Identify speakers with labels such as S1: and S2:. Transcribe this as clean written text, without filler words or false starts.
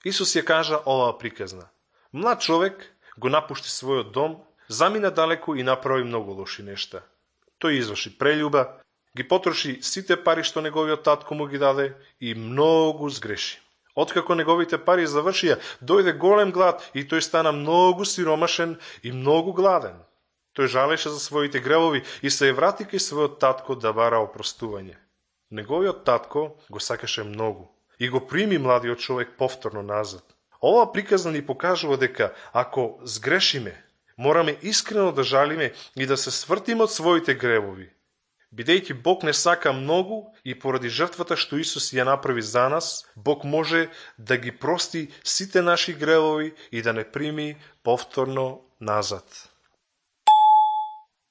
S1: Исус ја кажа оваа приказна. Млад човек го напушти својот дом, замина далеку и направи многу лоши нешта. Тој изврши прељуба, ги потроши сите пари што неговиот татко му ги даде и многу сгреши. Откако неговите пари завршија, дојде голем глад и тој стана многу сиромашен и многу гладен. Тој жалеше за своите гревови и се ја врати кај својот татко да бара опростување. Неговиот татко го сакаше многу и го прими младиот човек повторно назад. Ова приказна ни покажува дека ако сгрешиме, мораме искрено да жалиме и да се свртиме од своите гревови. Бидејќи Бог не сака многу и поради жртвата што Исус ја направи за нас, Бог може да ги прости сите наши гревови и да не прими повторно назад.